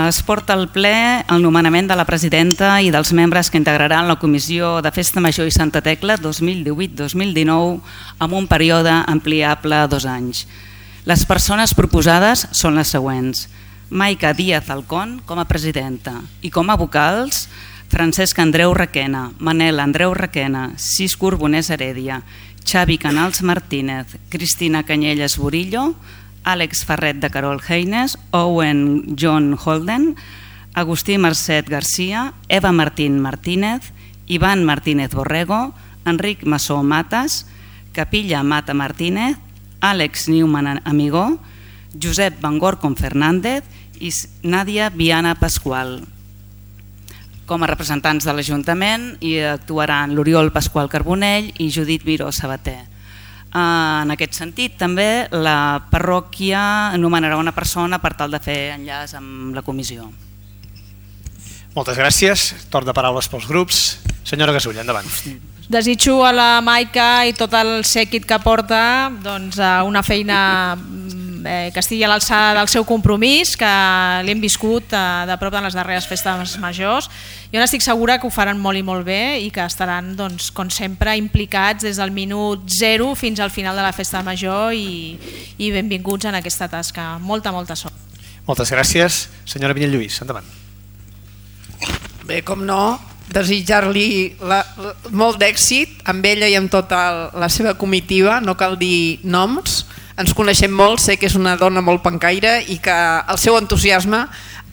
Es porta al ple el nomenament de la presidenta i dels membres que integraran la Comissió de Festa Major i Santa Tecla 2018-2019 amb un període ampliable a 2 anys. Les persones proposades són les següents: Maica Díaz Alcón com a presidenta i com a vocals Francesc Andreu Requena, Manel Andreu Requena, Cisco Urbonès Heredia, Xavi Canals Martínez, Cristina Canyelles Burillo, Àlex Ferret de Carol Heines, Owen John Holden, Agustí Mercet Garcia, Eva Martín Martínez, Iván Martínez Borrego, Enric Massó Matas, Capilla Mata Martínez, Àlex Newman Amigó, Josep Van Gorcom Fernández i Nàdia Viana Pasqual. Com a representants de l'Ajuntament hi actuaran l'Oriol Pasqual Carbonell i Judit Miró Sabater. En aquest sentit, també la parròquia nomenarà una persona per tal de fer enllaç amb la comissió. Moltes gràcies. Torn de paraules pels grups. Senyora Gasull, endavant. Desitjo a la Maica i tot el séquit que porta una feina que estigui a l'alçada del seu compromís, que l'hem viscut de prop en les darreres festes majors. Jo n'estic segura que ho faran molt i molt bé i que estaran, com sempre, implicats des del minut 0 fins al final de la festa major i benvinguts en aquesta tasca. Molta sort. Moltes gràcies. Senyora Vinyet Lluís, endavant. Bé, com no, desitjar-li molt d'èxit amb ella i amb tota la seva comitiva, no cal dir noms. Ens coneixem molt, sé que és una dona molt pencaire i que el seu entusiasme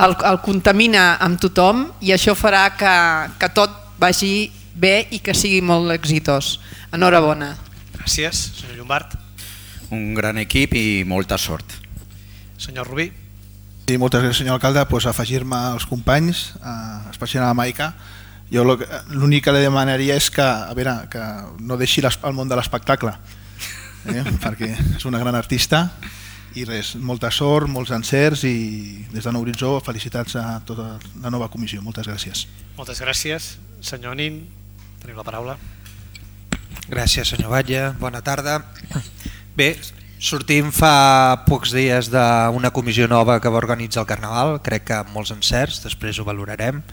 el contamina amb tothom i això farà que tot vagi bé i que sigui molt exitós. Enhorabona. Gràcies. Senyor Llombart. Un gran equip i molta sort. Senyor Rubí. Sí, moltes gràcies, senyor alcalde. Afegir-me als companys, especialment a la Maica. Jo l'únic que li demanaria és que no deixi el món de l'espectacle, perquè és una gran artista i res, molta sort, molts encerts i des de Nou Horitzó felicitats a tota la nova comissió. Moltes gràcies. Moltes gràcies. Senyor Nin, teniu la paraula. Gràcies, senyor Batlle. Bona tarda. Bé, sortim fa pocs dies d'una comissió nova que va organitzar el Carnaval, crec que amb molts encerts, després ho valorarem.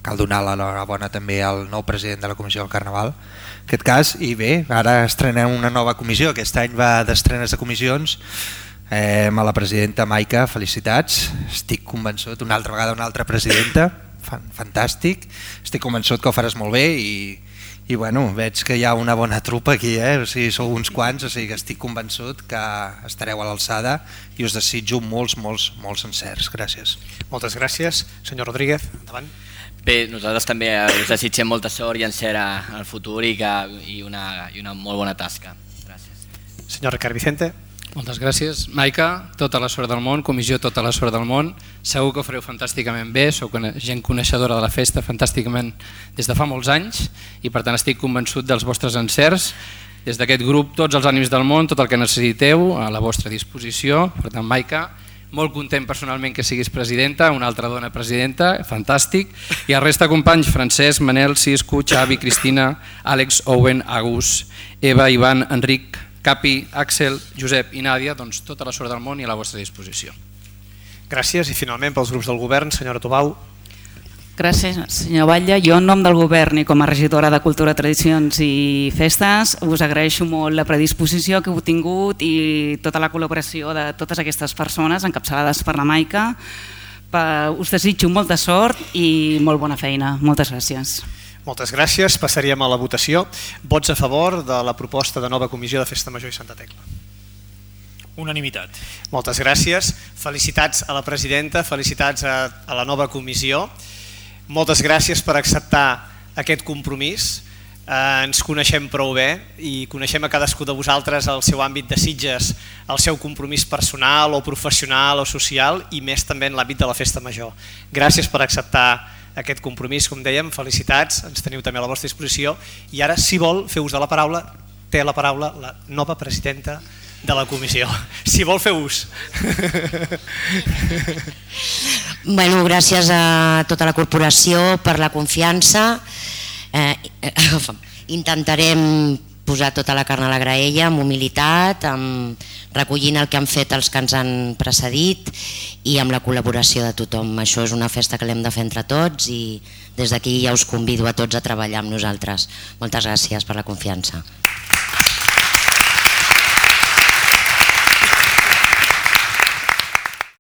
Cal donar l'enhorabona també al nou president de la comissió del Carnaval, en aquest cas, i bé, ara estrenem una nova comissió, aquest any va d'estrenes de comissions. A la presidenta Maica, felicitats, estic convençut, una altra vegada una altra presidenta, fantàstic, estic convençut que ho faràs molt bé i bueno, veig que hi ha una bona trupa aquí, o sigui, sou uns quants, o sigui que estic convençut que estareu a l'alçada i us desitjo molts encerts. Gràcies. Moltes gràcies. Senyor Rodríguez, endavant. Bé, nosaltres també us desitgem molta sort i encert al futur i una molt bona tasca. Gràcies. Senyor Ricard Vicente. Moltes gràcies. Maica, tota la sort del món, comissió, tota la sort del món. Segur que ho fareu fantàsticament bé, sou gent coneixedora de la festa fantàsticament des de fa molts anys i per tant estic convençut dels vostres encerts. Des d'aquest grup, tots els ànims del món, tot el que necessiteu a la vostra disposició. Per tant, Maica, molt content personalment que siguis presidenta, una altra dona presidenta, fantàstic, i el resta de companys, Francesc, Manel, Cisco, Xavi, Cristina, Àlex, Owen, Agus, Eva, Ivan, Enric, Capi, Àxel, Josep i Nàdia, doncs tota la sort del món i a la vostra disposició. Gràcies i finalment pels grups del govern, senyora Tobau. Gràcies, senyor Batlle. Jo en nom del govern i com a regidora de Cultura, Tradicions i Festes us agraeixo molt la predisposició que heu tingut i tota la col·laboració de totes aquestes persones encapçalades per la Maica. Us desitjo molta sort i molt bona feina. Moltes gràcies. Moltes gràcies. Passaríem a la votació. Vots a favor de la proposta de nova comissió de Festa Major i Santa Tecla. Unanimitat. Moltes gràcies. Felicitats a la presidenta, felicitats a la nova comissió. Moltes gràcies per acceptar aquest compromís. Ens coneixem prou bé i coneixem a cadascú de vosaltres el seu àmbit de Sitges, el seu compromís personal o professional o social i més també en l'àmbit de la festa major. Gràcies per acceptar aquest compromís, com dèiem, felicitats, ens teniu també a la vostra disposició i ara, si vol fer ús de la paraula, té la paraula la nova presidenta de la comissió. Si vol fer ús. Bueno, gràcies a tota la corporació per la confiança. Intentarem posar tota la carn a la graella amb humilitat, recollint el que han fet els que ens han precedit i amb la col·laboració de tothom. Això és una festa que l'hem de fer entre tots i des d'aquí ja us convido a tots a treballar amb nosaltres. Moltes gràcies per la confiança.